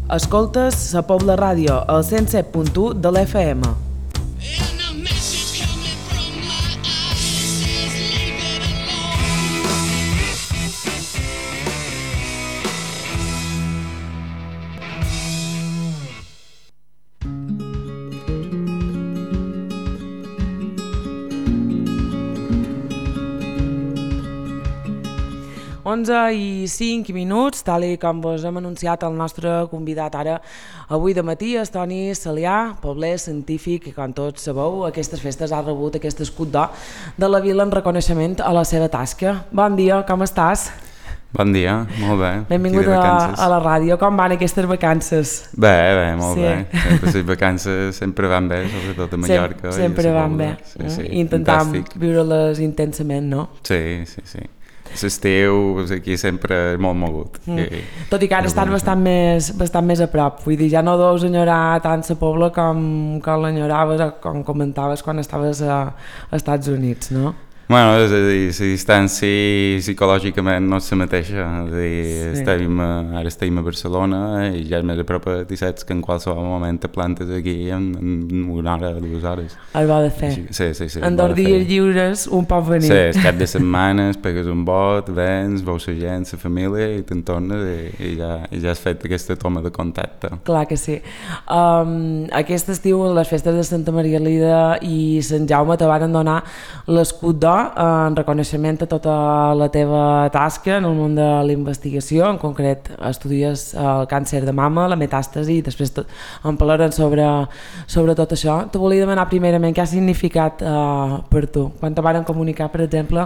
Escoltes la Pobla Ràdio, al 107.1 de l'FM. I 5 minuts, tal com vos hem anunciat el nostre convidat ara avui de matí, és Toni Salià, pobler científic, i com tots sabeu, aquestes festes ha rebut aquest escut d'or de la vila en reconeixement a la seva tasca. Bon dia, com estàs? Bon dia, molt bé. Benvingut a la ràdio. Com van aquestes vacances? Bé, molt bé. Sempre les vacances sempre van bé, sobretot a Mallorca. Sempre van bé. Intentam viure-les intensament, no? Sí. L'estiu aquí sempre és molt mogut. Tot i que ara estàs bastant més a prop, vull dir, ja no deus enyorar tant la Pobla com l'enyoraves o com comentaves quan estaves a Estats Units, no? Bueno, és a dir, la distància psicològicament no és la mateixa, és a dir, ara estem a Barcelona i ja és més a prop i saps que en qualsevol moment te plantes aquí en una hora o 2 hores. El bo de fer. Sí. En 2 dies lliures un pot venir. Sí, el cap de setmanes, pegues un bot, vens, veus la gent, la família i te'n tornes i ja has fet aquesta toma de contacte. Clar que sí. Aquest estiu, les festes de Santa Maria Lida i Sant Jaume te van donar l'escut d'or en reconeixement a tota la teva tasca en el món de la investigació. En concret estudies el càncer de mama, la metàstasi, i després en parlarem sobre tot això. Te volia demanar primerament què ha significat per tu quan te van comunicar, per exemple,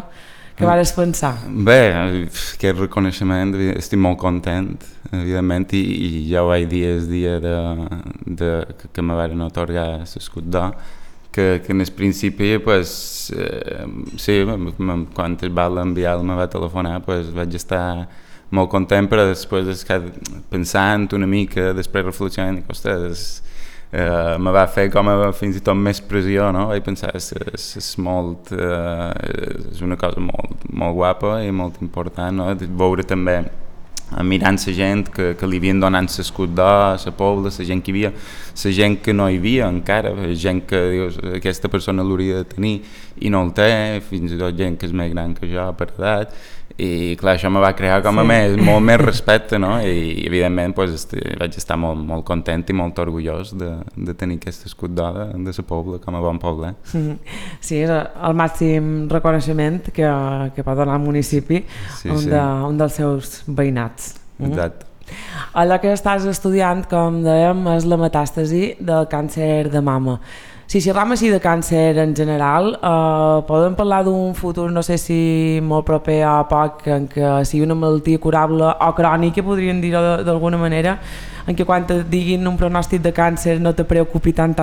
què vas pensar? Bé, aquest reconeixement, estic molt content, evidentment, i ja ho vaig dir el dia que me van atorgar l'escut d'or, que en el principi, pues, sí, quan es va enviar me va telefonar, pues, vaig estar molt content, però després pensant una mica, després reflexionant, dic, ostres, me va fer com fins i tot més pressió, no? Vaig pensar, és una cosa molt guapa i molt important, no? Veure també, mirant la gent que li havien donat l'escut d'or a la Pobla, la gent que hi havia, la gent que no hi havia encara, gent que dius, aquesta persona l'hauria de tenir i no el té, fins i tot gent que és més gran que jo per edat, i clar, això me va crear com a molt més respecte, no? I evidentment pues, vaig estar molt content i molt orgullós de tenir aquest escut d'or de la Pobla com a bon poble. Sí, és el màxim reconeixement que pot donar el municipi, un dels seus veïnats. Exacte. Allò que estàs estudiant, com dèiem, és la metàstasi del càncer de mama. Si xerram així de càncer en general, podem parlar d'un futur, no sé si molt proper a poc, en què sigui una malaltia curable o crònica, podríem dir d'alguna manera, en què quan et diguin un pronòstic de càncer no te preocupi tant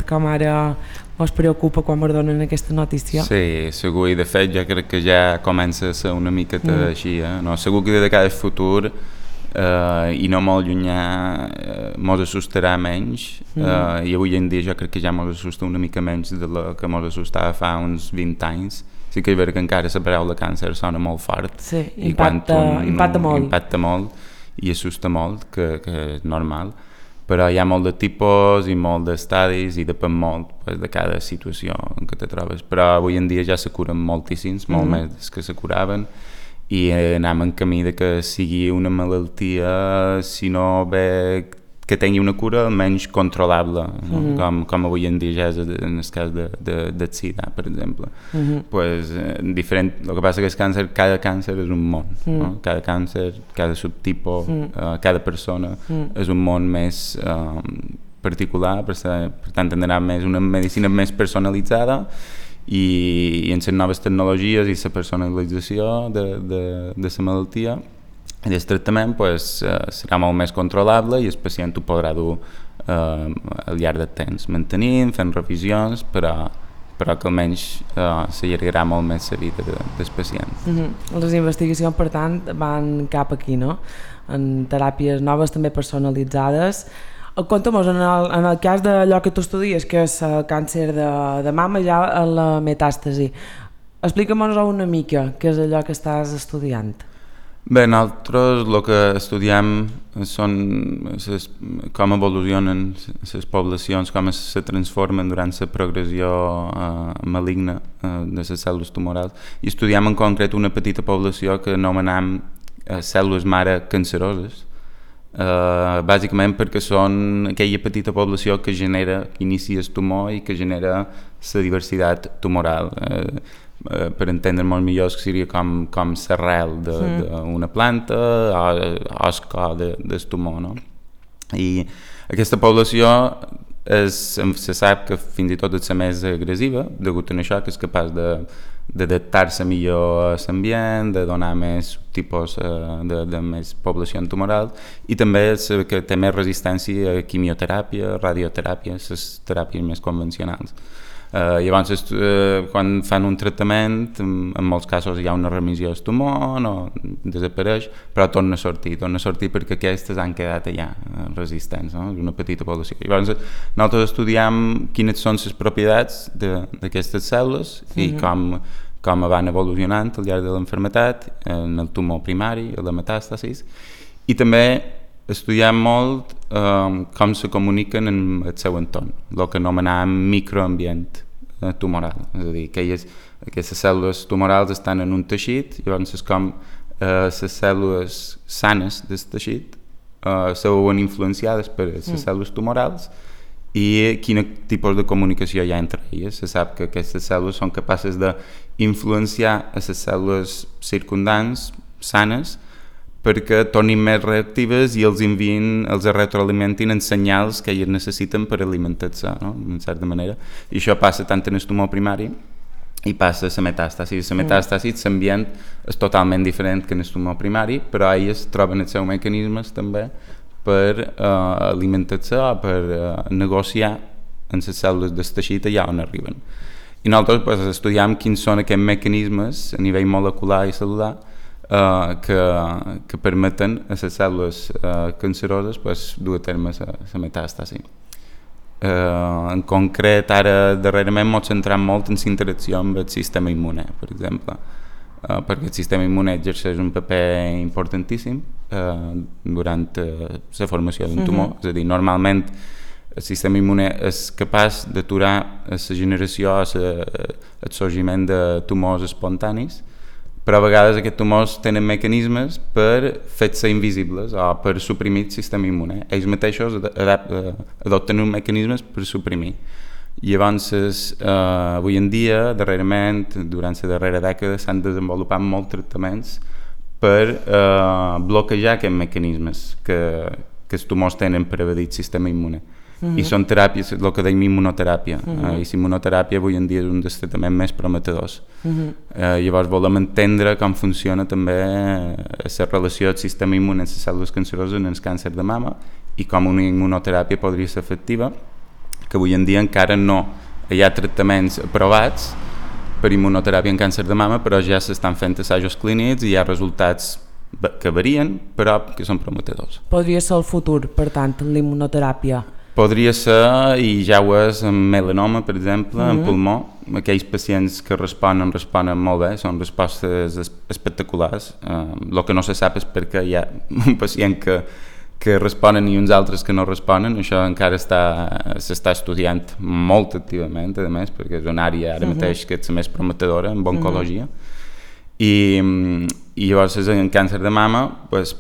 com ara us preocupa quan us donen aquesta notícia? Sí, segur, i de fet jo crec que ja comença a ser una miqueta així, no? Segur que de cada futur i no molt llunyà mos assustarà menys i avui en dia jo crec que ja mos assusta una mica menys de la que mos assustava fa uns 20 anys. Sí que és veritat que encara la paraula càncer sona molt fort, impacta molt i assusta molt, que és normal, però hi ha molt de tipus i molt d'estadis i depèn molt de cada situació en què te trobes, però avui en dia ja se curen moltíssims, molt més que se curaven, i anem en camí de que sigui una malaltia, si no bé que tingui una cura almenys controlable, com avui en dia ja és en el cas del SIDA, per exemple. Pues, diferent, el que passa que cada càncer és un món, no? Cada càncer, cada subtipus, cada persona és un món més particular, per tant tindrà més una medicina més personalitzada, i en les noves tecnologies i la personalització de la malaltia i del tractament pues, serà molt més controlable i el pacient ho podrà dur al llarg del temps, mantenint, fent revisions, però que almenys s'allargarà molt més la vida del pacient. Les investigacions, per tant, van cap aquí, no? En teràpies noves, també personalitzades. Conta'm, en el cas d'allò que tu estudies, que és el càncer de mama, ja la metàstasi, explica'm-nos una mica què és allò que estàs estudiant. Bé, nosaltres el que estudiem són com evolucionen les poblacions, com se transformen durant la progressió maligna de les cèl·lules tumorals, i estudiem en concret una petita població que anomenem cèl·lules mare canceroses, bàsicament perquè són aquella petita població que inicia el tumor i que genera la diversitat tumoral. Per entendre molt millor que seria com l'arrel d'una planta o el cor del tumor, no? I aquesta població se sap que fins i tot és la més agressiva, degut a això, que és capaç d'adaptar-se millor a l'ambient, de donar més tipus de més població tumoral, i també que té més resistència a quimioteràpia, radioteràpia, les teràpies més convencionals. Llavors, quan fan un tractament, en molts casos hi ha una remissió del tumor, no desapareix, però torna a sortir perquè aquestes han quedat allà resistents, no? És una petita població. Llavors, nosaltres estudiem quines són les propietats d'aquestes cèl·lules i com van evolucionant al llarg de l'enfermetat, en el tumor primari, en la metàstasis, i també estudiem molt com se comuniquen en el seu entorn, el que anomenàvem microambient tumoral, és a dir, aquestes cèl·lules tumorals estan en un teixit, llavors és com les cèl·lules sanes del teixit se veuen influenciades per les cèl·lules tumorals i quin tipus de comunicació hi ha entre elles. Se sap que aquestes cèl·lules són capaces d'influenciar a les cèl·lules circundants sanes perquè tornin més reactives i els retroalimentin en senyals que elles necessiten per alimentar-se, no? En certa manera. I això passa tant en el tumor primari i passa a la metàstasis. La metàstasis, l'ambient és totalment diferent que en el tumor primari, però elles troben els seus mecanismes també per alimentar-se o per negociar en les cèl·lules del teixit allà on arriben. I nosaltres estudiem quins són aquests mecanismes a nivell molecular i cel·lular que permeten a les cèl·lules canceroses dur a terme la metàstasi. En concret, ara darrerament ens centrem molt en la interacció amb el sistema immune, per exemple, perquè el sistema immune exerceix un paper importantíssim durant la formació d'un tumor. És a dir, normalment el sistema immune és capaç d'aturar la generació o el sorgiment de tumors espontanis, però a vegades aquests tumors tenen mecanismes per fer-se invisibles o per suprimir el sistema immune. Ells mateixos adopten uns mecanismes per suprimir. I llavors, avui en dia, darrerament, durant la darrera dècada, s'han desenvolupat molts tractaments per bloquejar aquests mecanismes que els tumors tenen per evadir el sistema immune. I són teràpies, el que deim immunoteràpia, i la immunoteràpia avui en dia és un dels tractaments més prometedors. Llavors volem entendre com funciona també la relació del sistema immune amb les cèl·lules canceroses en el càncer de mama i com una immunoteràpia podria ser efectiva, que avui en dia encara no hi ha tractaments aprovats per immunoteràpia en càncer de mama, però ja s'estan fent assajos clínics i hi ha resultats que varien, però que són prometedors. Podria ser el futur, per tant, l'immunoteràpia? Podria ser, i ja ho és, en melanoma, per exemple, en pulmó. Aquells pacients que responen molt bé, són respostes espectaculars. El que no se sap és perquè hi ha un pacient que responen i uns altres que no responen. Això encara s'està estudiant molt activament, a més, perquè és una àrea ara mateix que és la més prometedora en oncologia. I llavors en càncer de mama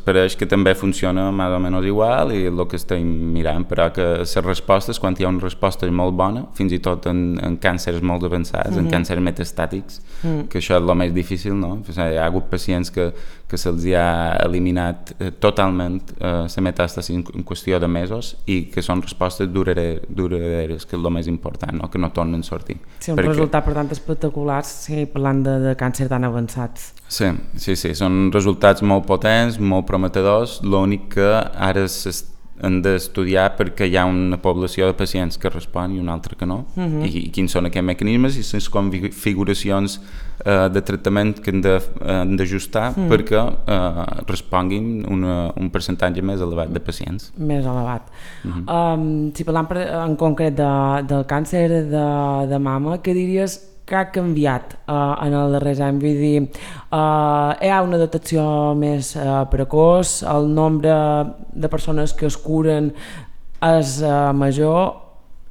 pareix que també funciona més o menys igual i el que estem mirant, però que les respostes, quan hi ha una resposta molt bona, fins i tot en càncers molt avançats, en càncers metastàtics, que això és el més difícil, no? Hi ha hagut pacients que se'ls ha eliminat totalment la metàstasi en qüestió de mesos i que són respostes duraderes, que és el més important, no? Que no tornen a sortir. Sí, un resultat, per tant, espectaculars, parlant de càncer tan avançats. Sí, són resultats molt potents, molt prometedors, l'únic que ara han d'estudiar perquè hi ha una població de pacients que respon i una altra que no, i quins són aquests mecanismes i les configuracions de tractament que han d'ajustar perquè responguin un percentatge més elevat de pacients. Més elevat. Si parlam en concret del càncer de mama, què diries que ha canviat en els darrers anys? Vull dir, hi ha una detecció més precoç, el nombre de persones que es curen és major,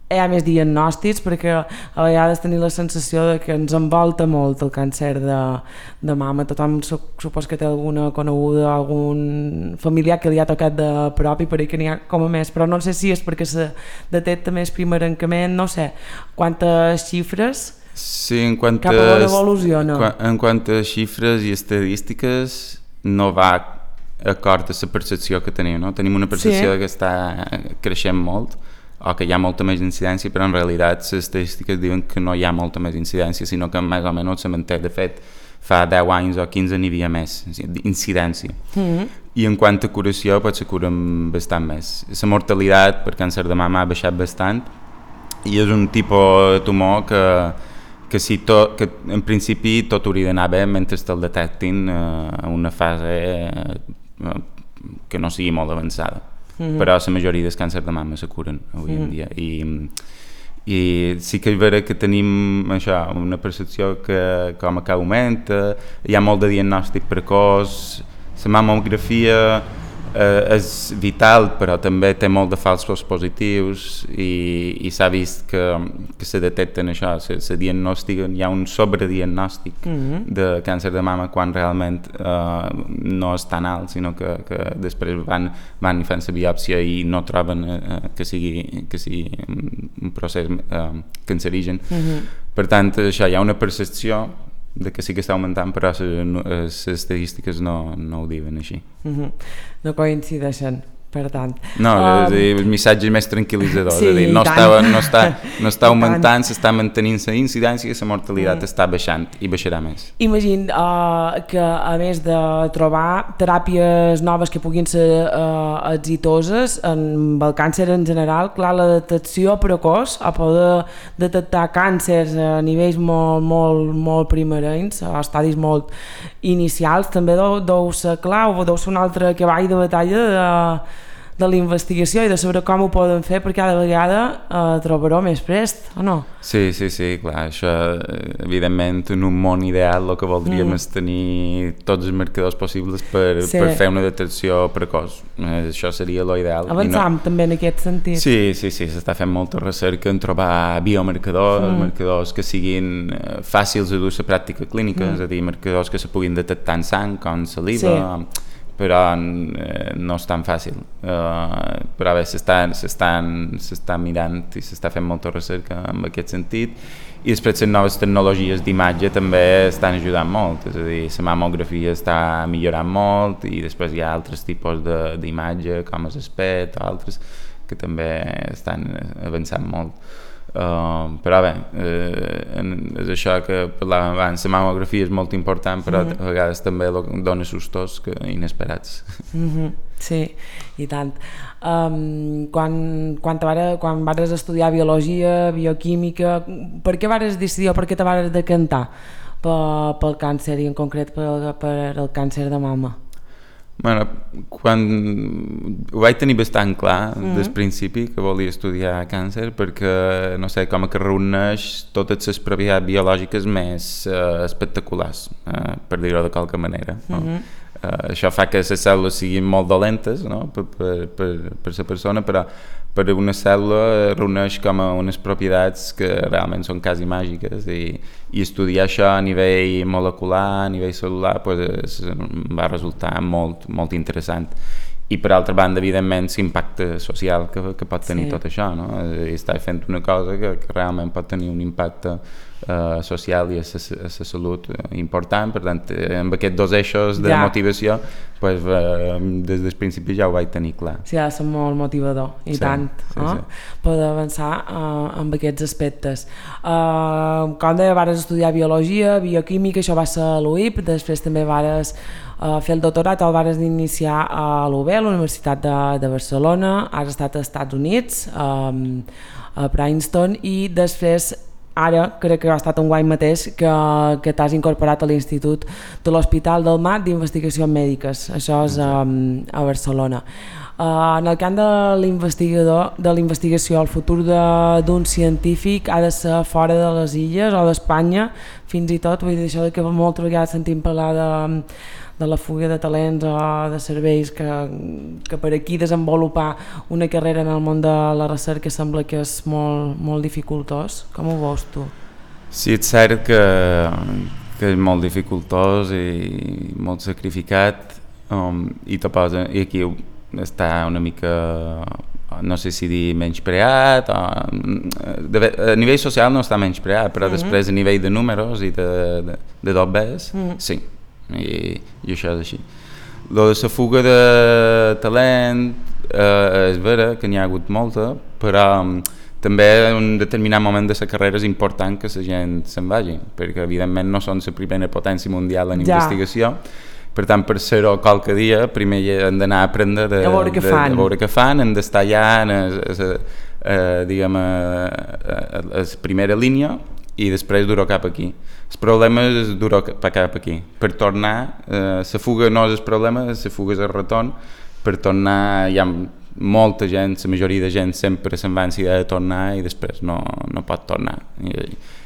hi ha més diagnòstics, perquè a vegades tenim la sensació de que ens envolta molt el càncer de mama. Tothom supos que té alguna coneguda, algun familiar que li ha tocat de prop i per ahí que n'hi ha com a més, però no sé si és perquè se detecta més primerencament, no sé, quantes xifres sí, cap a l'on evoluciona. En quant a xifres i estadístiques no va acord a la percepció que tenim, no? Tenim una percepció que està creixent molt, o que hi ha molta més incidència, però en realitat les estadístiques diuen que no hi ha molta més incidència, sinó que més o menys se manté. De fet, fa 10 anys o 15 n'hi havia més incidència. I en quant a curació, pues, se curen bastant més. La mortalitat per càncer de mama ha baixat bastant i és un tipus de tumor que en principi tot hauria d'anar bé mentre te'l detectin en una fase que no sigui molt avançada. Però la majoria dels càncer de mama se curen avui en dia i sí que és vera que tenim això, una percepció que com que augmenta, hi ha molt de diagnòstic precoç, la mamografia és vital però també té molt de falsos positius i s'ha vist que se detecten això, se diagnostiquen, hi ha un sobrediagnòstic de càncer de mama quan realment no és tan alt, sinó que després van i fan la biòpsia i no troben que sigui un procés cancerigen. Per tant, això, hi ha una percepció de que sí que està augmentant, però les estadístiques no ho diuen així. No coincideixen, per tant. No, el missatge és més tranquil·litzador, sí, és a dir, no està augmentant, s'està mantenint la incidència i la mortalitat està baixant i baixarà més. Imagina que a més de trobar teràpies noves que puguin ser exitoses amb el càncer en general, clar, la detecció precoç a poder detectar càncers a nivells molt primerencs, a estadis molt inicials, també deu ser clau, deu ser un altre cavall de batalla de la investigació i de saber com ho poden fer, perquè cada vegada trobaró més prest, o no? Sí, clar, això evidentment en un món ideal el que voldríem és tenir tots els marcadors possibles per fer una detecció precoç, això seria l'ideal. Avançam també en aquest sentit. Sí, s'està fent molta recerca en trobar biomarcadors, marcadors que siguin fàcils de dur a la pràctica clínica, és a dir, marcadors que se puguin detectar en sang, com saliva, però no és tan fàcil, però bé, s'està mirant i s'està fent molta recerca en aquest sentit i després les noves tecnologies d'imatge també estan ajudant molt, és a dir, la mamografia està millorant molt i després hi ha altres tipus d'imatge com el PET o altres que també estan avançant molt. Però bé, és això que parlàvem abans, la mamografia és molt important, però a vegades també dona sustos inesperats. Sí, i tant. Quan vares estudiar biologia, bioquímica, per què vares decidir o per què te vares decantar pel càncer i en concret per el càncer de mama? Bueno, quan ho vaig tenir bastant clar des principi que volia estudiar càncer perquè, no sé, com que reuneix totes les propietats biològiques més espectaculars, per dir-ho de qualque manera. Això fa que les cèl·lules siguin molt dolentes, no? per la persona, però per una cèl·lula reuneix com unes propietats que realment són quasi màgiques i estudiar això a nivell molecular, a nivell cel·lular, pues, va resultar molt interessant. I per altra banda, evidentment, l'impacte social que pot tenir tot això, no? Estàs fent una cosa que realment pot tenir un impacte social i a la salut important, per tant, amb aquests dos eixos de motivació, pues, des del principi ja ho vaig tenir clar. Sí, ha de ser molt motivador, i tant, poder avançar amb aquests aspectes. Com deia, vares estudiar biologia, bioquímica, això va ser a l'UIP, després també vares fer el doctorat, el vares iniciar a l'UB, a la Universitat de Barcelona, has estat als Estats Units, a Princeton, i després ara crec que ha estat un guany mateix que t'has incorporat a l'Institut de l'Hospital del Mar d'Investigacions Mèdiques, això és a Barcelona. En el camp de l'investigació, el futur d'un científic ha de ser fora de les illes o d'Espanya, fins i tot, vull dir, això que moltes vegades sentim parlar de la fuga de talents o de serveis que per aquí desenvolupar una carrera en el món de la recerca sembla que és molt, molt dificultós. Com ho veus tu? Sí, és cert que és molt dificultós i molt sacrificat i aquí està una mica, no sé si dir menyspreat, a nivell social no està menyspreat, però després a nivell de números i de dobbers, sí, i això és així. Lo de la fuga de talent és vera que n'hi ha hagut molta, però també en un determinat moment de la carrera és important que la gent se'n vagi, perquè evidentment no són la primera potència mundial en investigació. Per tant, per ser-ho qualque dia, primer hem d'anar a aprendre a veure què fan, hem d'estar ja a la primera línia i després dur-ho cap aquí. El problema és dur-ho cap aquí. Per tornar, la fuga no és el problema, la fuga és el retorn. Per tornar, hi ha molta gent, la majoria de gent sempre se'n va en idea de tornar i després no pot tornar.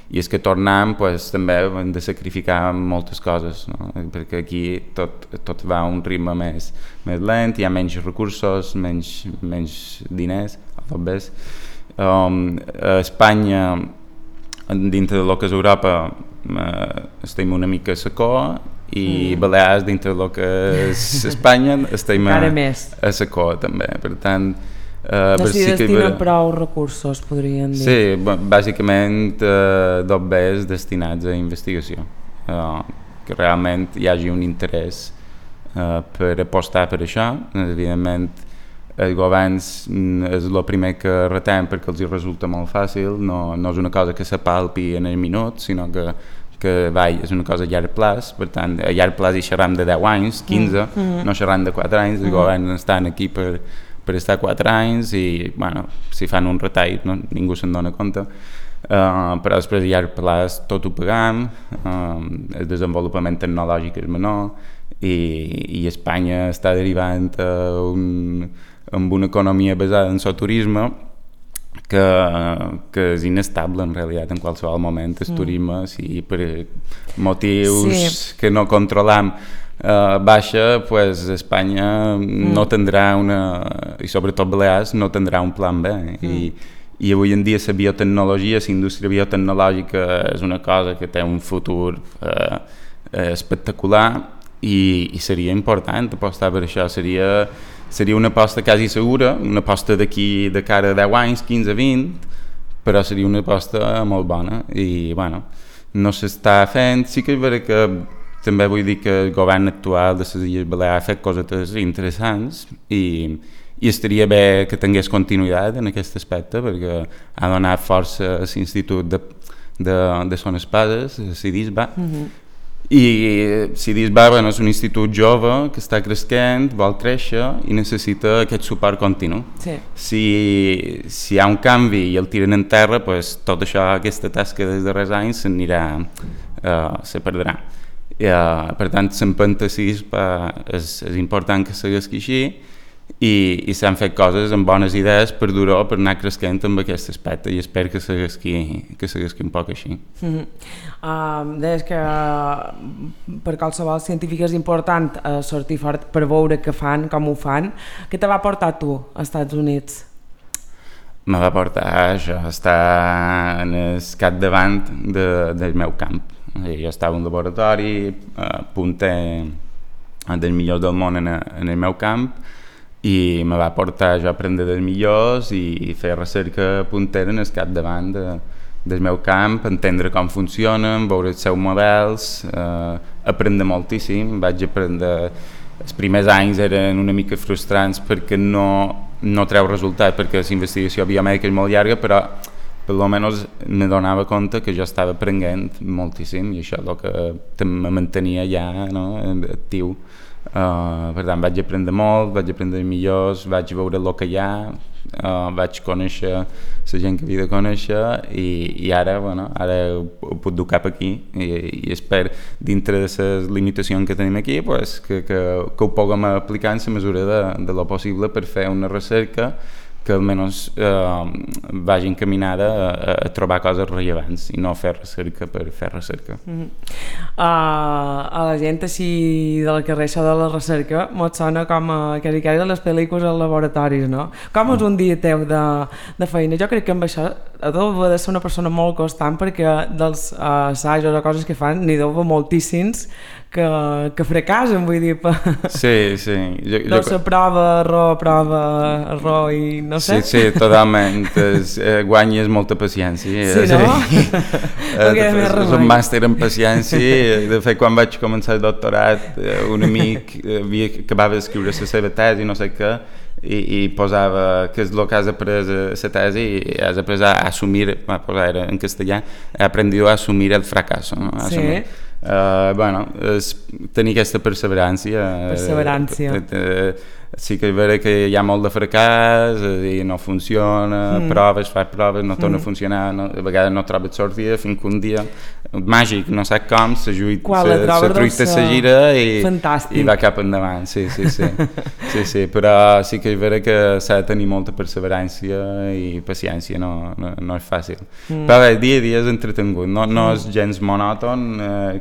I és que tornant pues, també hem de sacrificar moltes coses, no? Perquè aquí tot va a un ritme més lent, hi ha menys recursos, menys diners, a Espanya, dintre del que és Europa, estem una mica a la cua i Balears, dintre del que és Espanya, estem a la cua també, per tant no s'hi destinen prou recursos, podríem dir. Sí, bàsicament dobbers destinats a investigació, que realment hi hagi un interès per apostar per això. Evidentment els governs és el primer que retem perquè els resulta molt fàcil, no és una cosa que s'apalpi en el minut, sinó que és una cosa a llarg plaç. Per tant, a llarg plaç hi xerram de 10 anys, 15, no xerram de 4 anys, els governs estan aquí per estar 4 anys i bueno, si fan un retall ningú se'n dona compte, però després a llarg plaç tot ho pagam, el desenvolupament tecnològic és menor i Espanya està derivant amb una economia basada en el turisme que és inestable en realitat en qualsevol moment. El turisme, si per motius que no controlam baixa, pues Espanya no tindrà i sobretot Balears no tindrà un plan B i avui en dia la biotecnologia, la indústria biotecnològica és una cosa que té un futur espectacular i seria important apostar per això. Seria una aposta quasi segura, una aposta d'aquí de cara a 10 anys, 15, 20, però seria una aposta molt bona i bueno, no s'està fent. Sí que és vera que també vull dir que el govern actual de les Illes Balears ha fet coses interessants i estaria bé que tingués continuïtat en aquest aspecte perquè ha donat força a l'Institut de Son Espases, a CIDISBA, i CIDISBA és un institut jove que està creixent, vol créixer i necessita aquest suport continu. Si hi ha un canvi i el tiren en terra, pues, tot això, aquesta tasca dels darrers anys se perdrà. Per tant, l'empenta CIDISBA és important que segueixi així i s'han fet coses amb bones idees per dur-ho, per anar creixent amb aquest aspecte i espero que segueixi un poc així. Deies que per qualsevol científic és important sortir fort per veure què fan, com ho fan. Què te va portar tu als Estats Units? Me va portar això, estar en el capdavant del meu camp. Jo estava en un laboratori, punter dels millors del món en el meu camp i me va portar a aprendre dels millors i fer recerca puntera en el capdavant del meu camp, entendre com funcionen, veure els seus models, aprendre moltíssim. Vaig aprendre... Els primers anys eren una mica frustrants perquè no treu resultat, perquè la investigació biomèdica és molt llarga, però per almenys me donava compte que jo estava aprenent moltíssim i això és el que me mantenia ja actiu. Per tant, vaig aprendre molt, vaig aprendre millors, vaig veure el que hi ha, vaig conèixer la gent que havia de conèixer i ara, ara ho puc dur cap aquí i espero, dintre de les limitacions que tenim aquí, pues, que ho puguem aplicar en la mesura de lo possible per fer una recerca que almenys vagi encaminada a trobar coses rellevants i no fer recerca per fer recerca. A la gent així del carrer, això de la recerca mos sona com a que de les pel·lícules als laboratoris, no? Com és un dia teu de feina? Jo crec que amb això deu de ser una persona molt constant, perquè dels assajos o coses que fan n'hi deu moltíssims que fracassen, vull dir, sí. No se prova, error i no sé. Sí, totalment. Guanyes molta paciència. Sí, no? És un màster en paciència. De fet, quan vaig començar el doctorat, un amic acabava d'escriure la seva tesi, no sé què, i posava que és el que has après la tesi i has après a assumir, era en castellà, he aprendido a assumir el fracaso, no? Sí. Tenir aquesta perseverància. Sí que és vera que hi ha molt de fracàs, no funciona, fas proves, no torna a funcionar, a vegades no trobes sortida, fins que un dia màgic, no sap com, la truita se gira i va cap endavant. Sí, però sí que és vera que s'ha de tenir molta perseverància i paciència, no és fàcil. Però bé, dia a dia és entretengut, no és gens monòton,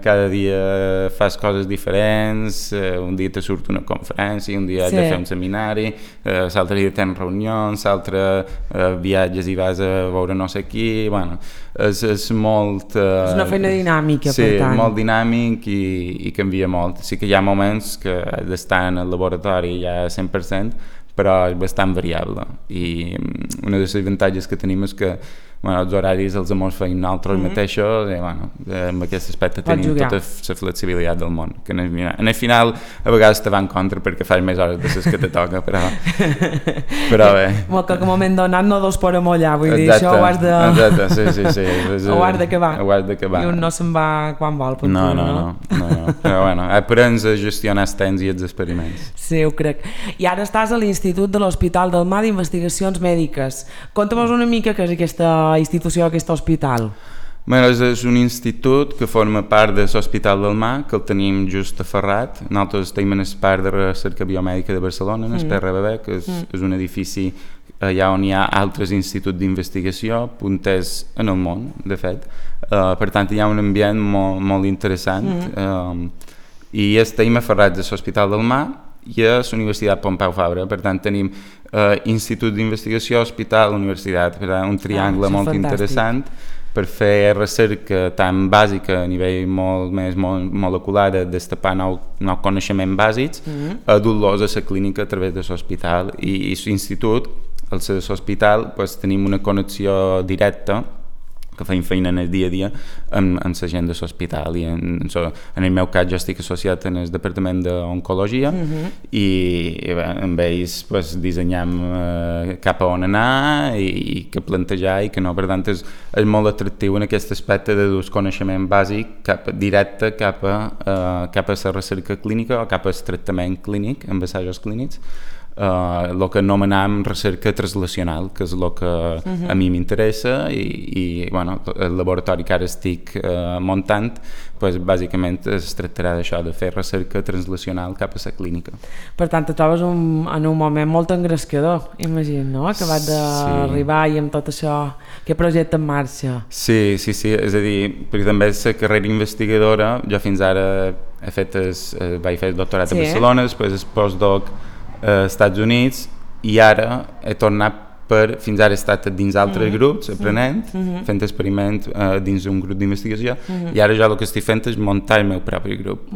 cada dia fas coses diferents, un dia te surt una conferència, un dia has de fer un seminari, l'altre dia tens reunions, l'altre viatges i vas a veure no sé qui, és molt... És una feina dinàmica, per tant. Sí, molt dinàmic i canvia molt. Sí que hi ha moments que has d'estar en el laboratori ja 100%, però és bastant variable. I una de les avantatges que tenim és que els horaris els hem fet nosaltres mateixos i amb aquest aspecte tenim tota la flexibilitat del món, que en el final a vegades te va en contra perquè fas més hores de les que te toca, però bé. Que en un moment donat no dos podem allà, vull dir, això ho has de... Exacte, sí. Ho has d'acabar. I un no se'n va quan vol. No. Però aprens a gestionar els temps i els experiments. Sí, ho crec. I ara estàs a l'Institut de l'Hospital del Mar d'Investigacions Mèdiques. Conta'm una mica què és aquesta institució, aquest hospital. És un institut que forma part de l'Hospital del Mar, que el tenim just a Ferrat. Nosaltres tenim en el Parc de Recerca Biomèdica de Barcelona, en el PRBB, que és un edifici allà on hi ha altres instituts d'investigació, punters en el món, de fet. Per tant, hi ha un ambient molt interessant. I estem aferrats a l'Hospital del Mar i a la Universitat Pompeu Fabra. Per tant, tenim Institut d'Investigació, Hospital, Universitat, per tant, un triangle molt interessant per fer recerca tan bàsica a nivell molt més molecular, de destapar nous coneixements bàsics, a dur-los a la clínica a través de l'hospital. I l'institut, al ser de l'hospital, tenim una connexió directa que feim feina en el dia a dia amb la gent de l'hospital i en el meu cas jo estic associat en el departament d'oncologia i amb ells dissenyam cap a on anar i què plantejar i que no, per tant és molt atractiu en aquest aspecte de dur coneixement bàsic directe cap a la recerca clínica o cap al tractament clínic amb assajos clínics, el que anomenam recerca translacional, que és el que a mi m'interessa i el laboratori que ara estic muntant, bàsicament es tractarà d'això, de fer recerca translacional cap a la clínica. Per tant, te trobes en un moment molt engrescador, imagino, no? Acabat d'arribar i amb tot això, aquest projecte en marxa. Sí, és a dir, perquè també la carrera investigadora, jo fins ara vaig fer el doctorat a Barcelona, després el postdoc als Estats Units i ara he tornat fins ara he estat dins altres grups aprenent, fent experiments dins un grup d'investigació i ara jo el que estic fent és muntar el meu propi grup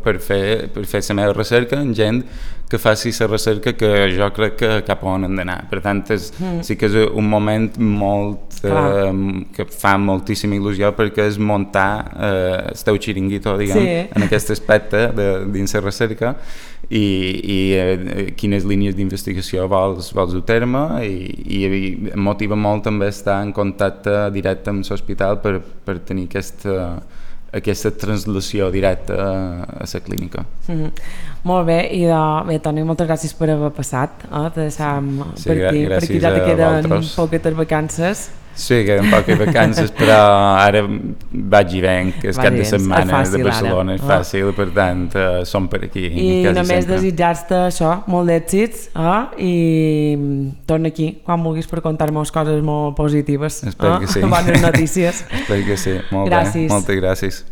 per fer la meva recerca en gent que faci la recerca que jo crec que cap a on hem d'anar. Per tant, sí que és un moment que fa moltíssima il·lusió perquè és muntar el teu xiringuito, diguem, en aquest aspecte dins la recerca i quines línies d'investigació vols dur a terme i em motiva molt també estar en contacte directe amb l'hospital per tenir aquesta translació directa a la clínica. Molt bé, i bé, Toni, moltes gràcies per haver passat, te deixam Sí, per aquí, perquè ja te queden poquetes vacances. Sí, queden poques vacances, però ara vaig i venc, és cap de setmana de Barcelona, és fàcil, per tant, som per aquí. I només desitjar-te això, molt d'èxits, i torna aquí, quan vulguis, per contar-me coses molt positives. Espero que sí. Bones notícies. Espero que sí, molt gràcies. bé, moltes gràcies.